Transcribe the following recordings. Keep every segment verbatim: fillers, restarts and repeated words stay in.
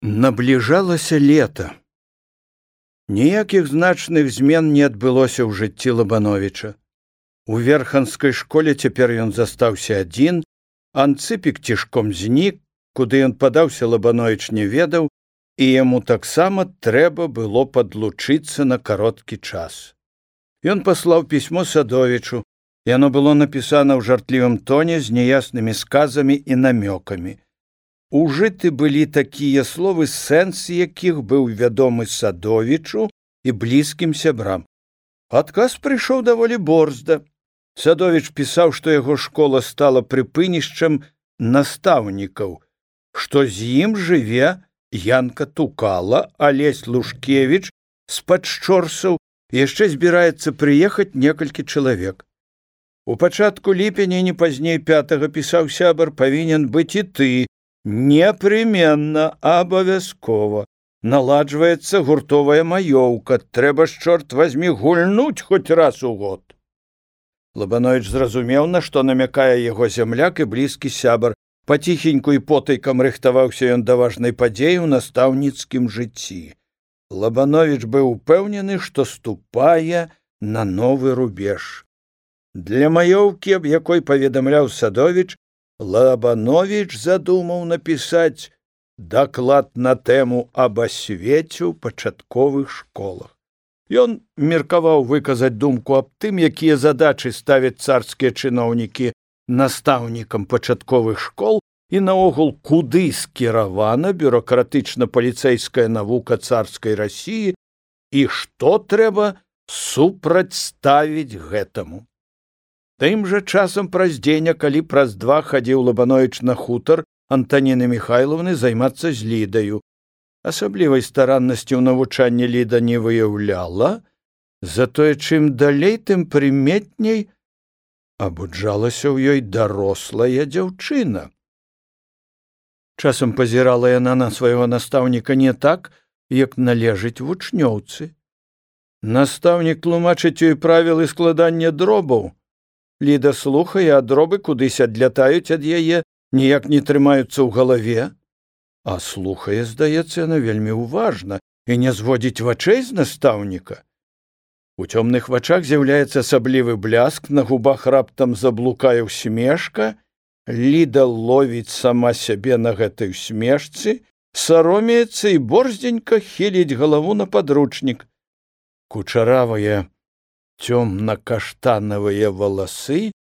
Набліжалася лета. Ніякіх значных змен не адбылося ў жыцці Лабановіча. У верханскай школе цяпер ён застаўся адзін, Анцыпік цішком знік, куды ён падаўся, Лабановіч не ведаў, і яму таксама трэба было падлучыцца на кароткі час. Ён паслаў пісьмо Садовічу. Яно было напісана ў жартлівым тоне з няяснымі сказамі і намёкамі. Ужыты былі такія словы, сэнс якіх быў вядомы Садовічу і блізкім сябрам. Адказ прыйшоў даволі борзда. Садовіч пісаў, што яго школа стала прыпынішчам настаўнікаў, што з ім жыве Янка Тукала, а Лесь Лушкевіч з-пад Шчорсаў, яшчэ збіраецца прыехаць некалькі чалавек. У пачатку ліпеня, не пазней пятага, пісаў сябар, павінен быць і ты, непременно, абавязкова. Наладжваецца гуртовая маёўка, трэба ж, чорт вазьмі, гульнуць хоць раз у год. Лабановіч зразумеў, на што намякае яго зямляк і блізкі сябар. Паціхеньку і потайкам рыхтаваўся ён да важнай падзеі ў настаўніцкім жыцці. Лабановіч быў упэўнены, што ступае на новы рубеж. Для маёўкі, аб якой паведамляў Садовіч, Лабановіч задумаў напісаць даклад на тэму аб асвеце ў пачатковых школах. Ён меркаваў выказаць думку аб тым, якія задачы ставяць царскія чыноўнікі настаўнікам пачатковых школ і наогул, куды скіравана бюракратычна-паліцэйская навука царскай Расіі і што трэба супрацьставіць гэтаму. Тым жа часам праз дзень, а калі праз два хадзіў Лабановіч на хутар Антаніны Міхайлаўны займацца з Лідаю. Асаблівай стараннасці ў навучанні Ліда не выяўляла, затое чым далей, тым прыметней абуджалася ў ёй дарослая дзяўчына. Часам пазірала яна на свайго настаўніка не так, як належыць вучнёўцы. Настаўнік тлумачыць ёй правілы складання дробаў. Ліда слухае, а дробы кудысь адлятаюць ад яе, ніяк не трымаюцца ў галаве. А слухае, здаецца, яна вельмі ўважна і не зводзіць вачэй з настаўніка. У цёмных вачах з'яўляецца асаблівы бляск, на губах раптам заблукае усмешка. Ліда ловіць сама сябе на гэтай усмешцы, саромеецца і борздзенька хіліць галаву на падручнік. Кучаравыя цёмна-каштанавыя валасы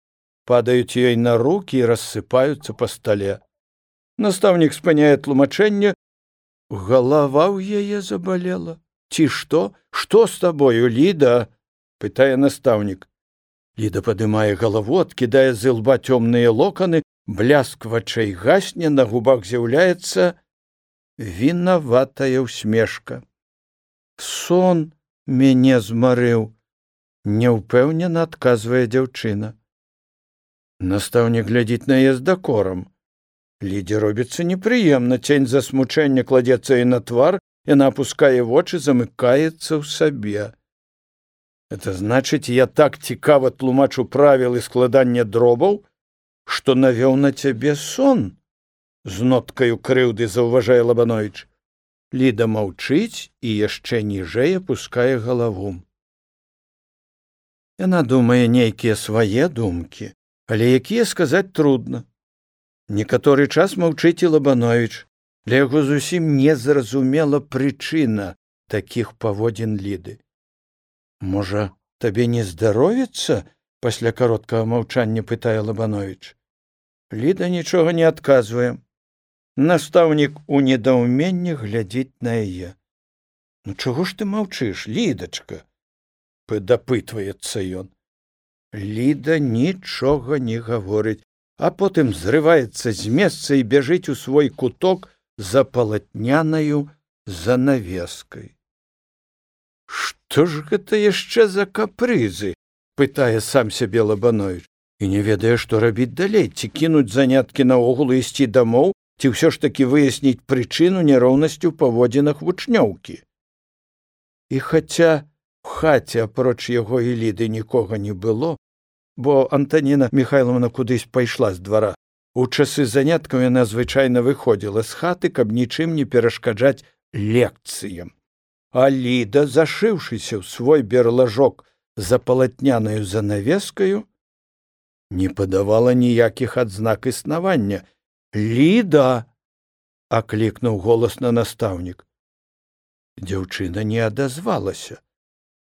падаюць ёй на рукі і рассыпаюцца па стале. Настаўнік спыняе тлумачэнне. Галава ў яе забалела. Ці што? Што з табою, Ліда? Пытае настаўнік. Ліда падымае галаву, адкідае з ілба цёмныя локаны, бляск вачэй гасне, на губах з'яўляецца вінаватая ўсмешка. Сон мяне змарыў. Няўпэўнена адказвае дзяўчына. Настаўнік глядзіць на яе з дакорам. Лідзе робіцца непрыемна, цень засмучэння кладзецца і на твар, яна апускае вочы, замыкаецца ў сабе. Это значыць, я так цікава тлумачу правілы складання дробаў, што навёў на цябе сон? З ноткаю крыўды заўважае Лабановіч. Ліда маўчыць і яшчэ ніжэй апускае галаву. Яна думае нейкія свае думкі, але якія сказаць трудна. Некаторы час маўчыць і Лабановіч. Для яго зусім незразумела прычына такіх паводзін Ліды. Можа, табе не здаровіцца? Пасля кароткага маўчання пытае Лабановіч. Ліда нічога не адказвае. Настаўнік у недаўменні глядзіць на яе. Ну чаго ж ты маўчыш, Лідачка? Дапытваецца ён. Ліда нічога не гаворыць, а потым зрываецца з месца і бяжыць у свой куток за палатнянаю занавескай. Што ж гэта яшчэ за капрызы? Пытае сам сябе Лабановіч. І не ведае, што рабіць далей, ці кінуць заняткі наогул і ісці дамоў, ці ўсё ж такі выясніць прычыну няроўнасці ў паводзінах вучнёўкі. І хаця у хаце апроч яго і Ліды нікога не было, бо Антаніна Міхайлаўна кудысь пайшла з двара, У часы заняткаў яна звычайна выходзіла з хаты, каб нічым не перашкаджаць лекцыям. А Ліда, зашыўшыся ў свой берлажок за палатнянаю занавескаю, не падавала ніякіх адзнак існавання. «Ліда!» — аклікнуў голасна настаўнік. Дзяўчына не адазвалася.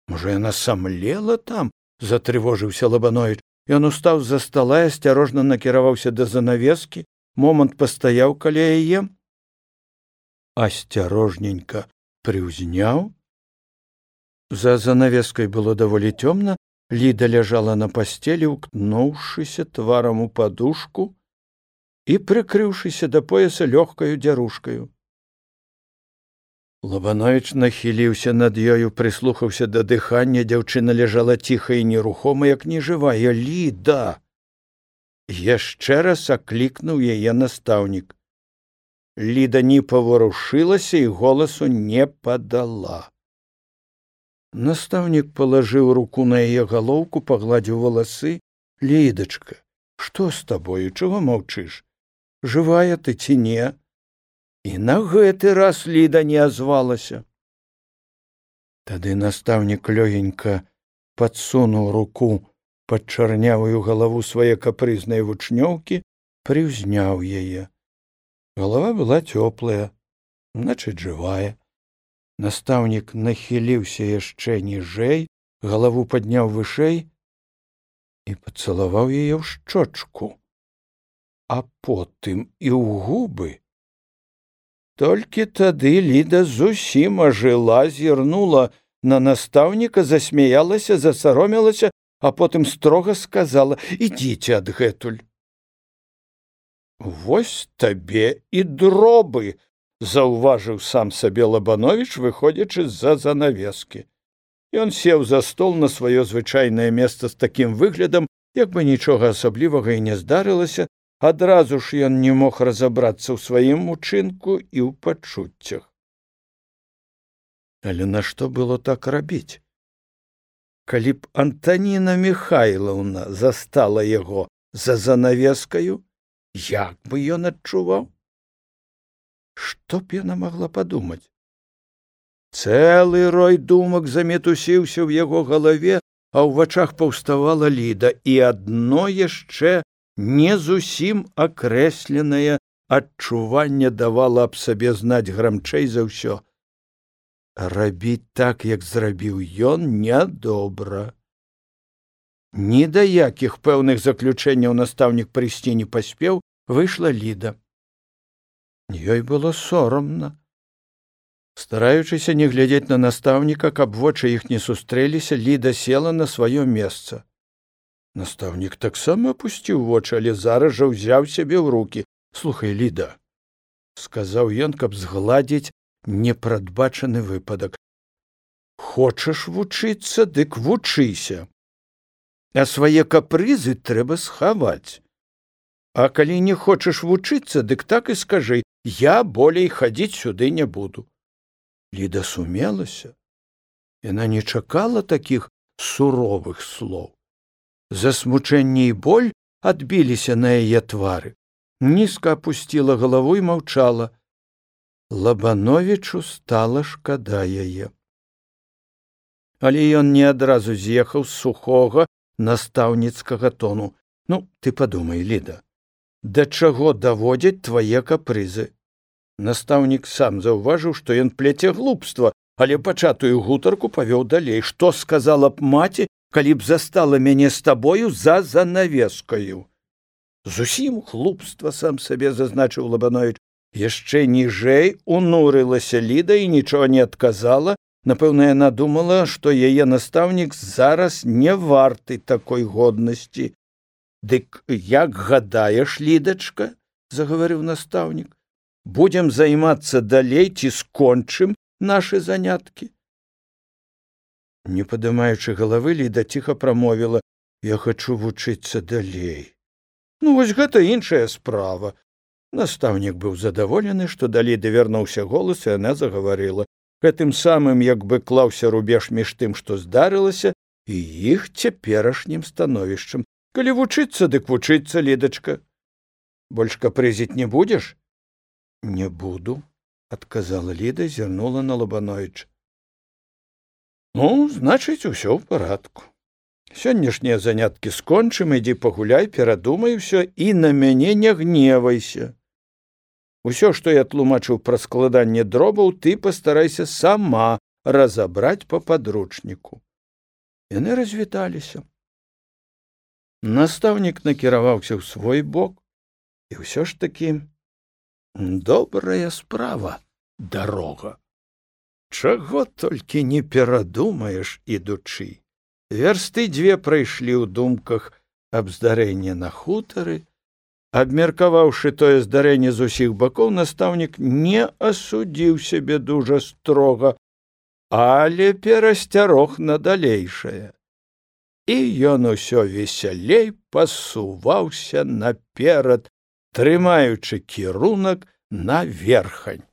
Можа, яна самлела там? — затрывожыўся Лабановіч. Ён устаў з-за стала і асцярожна накіраваўся да занавескі, момант пастаяў каля яе, асцярожненька прыўзняў. За занавескай было даволі цёмна, Ліда ляжала на пасцелі, уткнуўшыся тварам у падушку і прыкрыўшыся да пояса лёгкаю дзярушкаю. Лабановіч нахіліўся над ёю, прыслухаўся да дыхання. Дзяўчына ляжала ціха і нерухома, як нежывая. «Ліда!» Яшчэ раз аклікнуў яе настаўнік. Ліда не паварушылася і голасу не падала. Настаўнік палажыў руку на яе галоўку, пагладзіў валасы. «Лідачка, што з табою? Чаго маўчыш? Жывая ты ці не?» І на гэты раз Ліда не азвалася. Тады настаўнік лёгенька падсунуў руку пад чарнявую галаву свае капрызнай вучнёўкі, прыўзняў яе. Галава была цёплая, значыць, жывая. Настаўнік нахіліўся яшчэ ніжэй, галаву падняў вышэй і пацалаваў яе ў шчочку, а потым і ў губы. Толькі тады Ліда зусім ажыла, зірнула на настаўніка, засмяялася, засаромілася, а потым строга сказала: «Ідзіце адгэтуль». «Вось табе і дробы», — заўважыў сам сабе Лабановіч, выходзячы з-за занавескі. Ён сеў за стол на сваё звычайнае месца з такім выглядам, як бы нічога асаблівага і не здарылася. Адразу ж ён не мог разабрацца ў сваім учынку і ў пачуццях. Але нашто было так рабіць? Калі б Антаніна Міхайлаўна застала яго за занавескаю, як бы ён адчуваў? Што б яна магла падумаць? Цэлы рой думак замітусіўся ў яго галаве, а ў вачах паўставала Ліда, і адно яшчэ не зусім акрэсленае адчуванне давала аб сабе знаць грамчэй за ўсё. Рабіць так, як зрабіў ён, нядобра. Ні да якіх пэўных заключэнняў настаўнік прыйсці не паспеў, выйшла Ліда. Ёй было сорамна. Стараючыся не глядзець на настаўніка, каб вочы іх не сустрэліся, Ліда села на сваё месца. Настаўнік таксама апусціў вочы, але зараз жа ўзяў сябе ў рукі. «Слухай, Ліда», — сказаў ён, каб згладзіць непрадбачаны выпадак. «Хочаш вучыцца, дык вучыся. А свае капрызы трэба схаваць. А калі не хочаш вучыцца, дык так і скажы: я болей хадзіць сюды не буду». Ліда сумелася. Яна не чакала такіх суровых слоў. Засмучэнне і боль адбіліся на яе твары. Нізка апусціла галаву і маўчала. Лабановічу стала шкада яе. Але ён не адразу з'ехаў з сухога настаўніцкага тону. «Ну, ты падумай, Ліда, да чаго даводзяць твае капрызы?» Настаўнік сам заўважыў, што ён пляце глупства, але пачатую гутарку павёў далей. «Што сказала б маці, калі б застала мяне з табою за занавескаю?» «Зусім глупства», сам сабе зазначыў Лабановіч. Яшчэ ніжэй унурылася Ліда і нічога не адказала. Напэўна, яна думала, што яе настаўнік зараз не варты такой годнасці. «Дык як гадаеш, Лідачка?» — загаварыў настаўнік. «Будзем займацца далей ці скончым нашы заняткі?» Не падымаючы галавы, Ліда ціха прамовіла: «Я хачу вучыцца далей». «Ну, вось гэта іншая справа». Настаўнік быў задаволены, што да Ліды вярнуўся голас, і яна загаварыла. Гэтым самым як бы клаўся рубеж між тым, што здарылася, і іх цяперашнім становішчам. «Калі вучыцца, дык вучыцца, Лідачка. Больш капрызіць не будзеш? Не буду, адказала Ліда, зірнула на Лабановіча. Ну, значыць, усё ў парадку. Сённяшнія заняткі скончым, ідзі пагуляй, перадумай усё і на мяне не гневайся. Усё, што я тлумачыў пра складанне дробаў, ты пастарайся сама разабраць па падручніку. Яны развіталіся. Настаўнік накіраваўся ў свой бок, і ўсё ж такі добрая справа дарога. Чаго толькі не перадумаеш, ідучы. Вярсты дзве прайшлі ў думках аб здарэнні на хутары. Абмеркаваўшы тое здарэнне з усіх бакоў, настаўнік не асудзіў сябе дужа строга, але перасцярог на далейшае. І ён усё весялей пасуваўся наперад, трымаючы кірунак на Верхань.